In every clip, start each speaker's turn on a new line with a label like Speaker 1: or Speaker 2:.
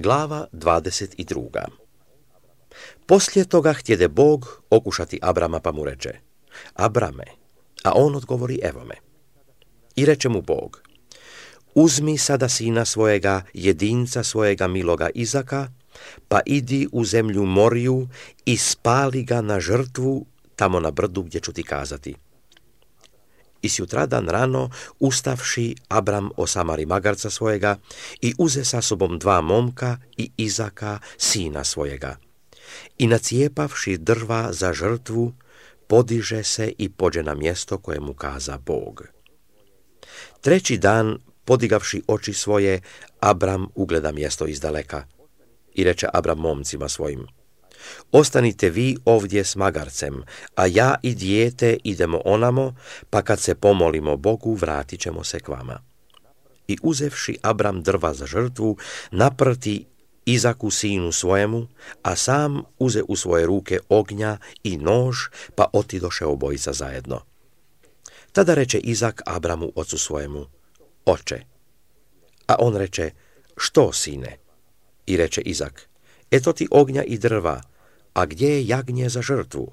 Speaker 1: Glava 22. Poslije toga htjede Bog okušati Abrama, pa mu reče: Abrame, a on odgovori: evo me. I reče mu Bog: uzmi sada sina svojega, jedinca svojega miloga Izaka, pa idi u zemlju Moriju i spali ga na žrtvu tamo na brdu gdje ću ti kazati. I sutradan rano, ustavši, Abram osamari magarca svojega i uze sa sobom 2 momka i Izaka, sina svojega. I nacijepavši drva za žrtvu, podiže se i pođe na mjesto koje mu kaza Bog. 3. dan, podigavši oči svoje, Abram ugleda mjesto izdaleka. I reče Abram momcima svojim: ostanite vi ovdje s magarcem, a ja i dijete idemo onamo, pa kad se pomolimo Bogu, vratit ćemo se k vama. I uzevši Abram drva za žrtvu, naprti Izaku sinu svojemu, a sam uze u svoje ruke ognja i nož, pa otidoše obojica zajedno. Tada reče Izak Abramu ocu svojemu: oče. A on reče: što, sine? I reče Izak: eto ti ognja i drva, a gdje je jagnje za žrtvu?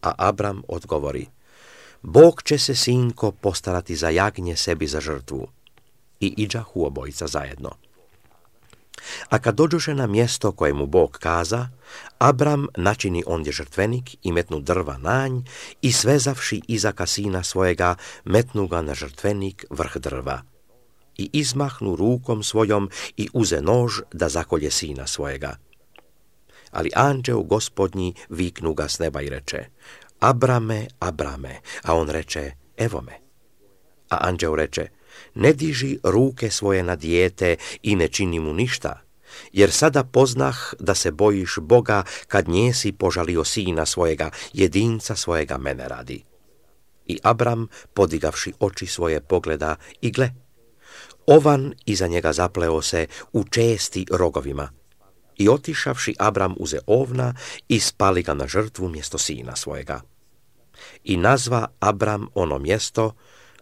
Speaker 1: A Abram odgovori: Bog će se, sinko, postarati za jagnje sebi za žrtvu. I iđahu obojica zajedno. A kad dođoše na mjesto koje mu Bog kaza, Abram načini ondje žrtvenik i metnu drva nanj i svezavši Izaka sina svojega, metnu ga na žrtvenik vrh drva. I izmahnu rukom svojom i uze nož da zakolje sina svojega. Ali anđeo Gospodnji viknu ga s neba i reče: Abrame, Abrame, a on reče: evo me. A anđeo reče: ne diži ruke svoje na dijete i ne čini mu ništa, jer sada poznah da se bojiš Boga kad njesi požalio sina svojega, jedinca svojega mene radi. I Abram, podigavši oči svoje, pogleda i gle, ovan iza njega zapleo se u česti rogovima. I otišavši Abram uze ovna i spali ga na žrtvu mjesto sina svojega. I nazva Abram ono mjesto: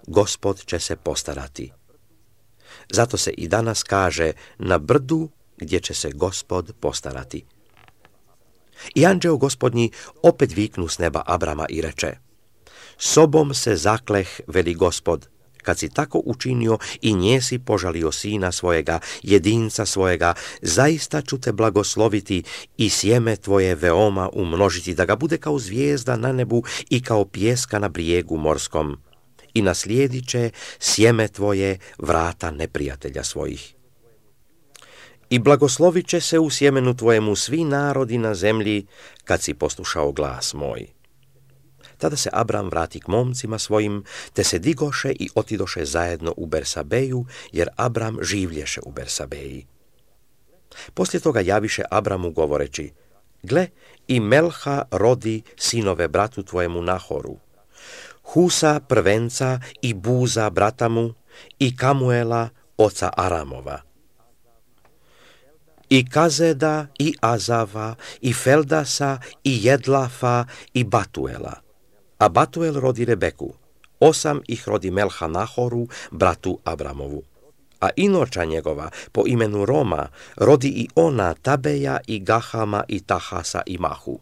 Speaker 1: Gospod će se postarati. Zato se i danas kaže: na brdu gdje će se Gospod postarati. I anđeo Gospodnji opet viknu s neba Abrama i reče: sobom se zakleh, veli Gospod, kad si tako učinio i njesi požalio sina svojega, jedinca svojega, zaista ću te blagosloviti i sjeme tvoje veoma umnožiti, da ga bude kao zvijezda na nebu i kao pijeska na brijegu morskom. I naslijedit će sjeme tvoje vrata neprijatelja svojih. I blagoslovit će se u sjemenu tvojemu svi narodi na zemlji, kad si poslušao glas moj. Tada se Abram vrati k momcima svojim, te se digoše i otidoše zajedno u Bersabeju, jer Abram življeše u Bersabeji. Poslije toga javiše Abramu govoreći: gle, i Melha rodi sinove bratu tvojemu Nahoru, Husa prvenca i Buza brata mu, i Kamuela oca Aramova, i Kazeda i Azava i Feldasa i Jedlafa i Batuela. A Batuel rodi Rebeku, 8 ih rodi Melha Nahoru, bratu Abramovu. A inoča njegova, po imenu Roma, rodi i ona Tabeja i Gahama i Tahasa i Mahu.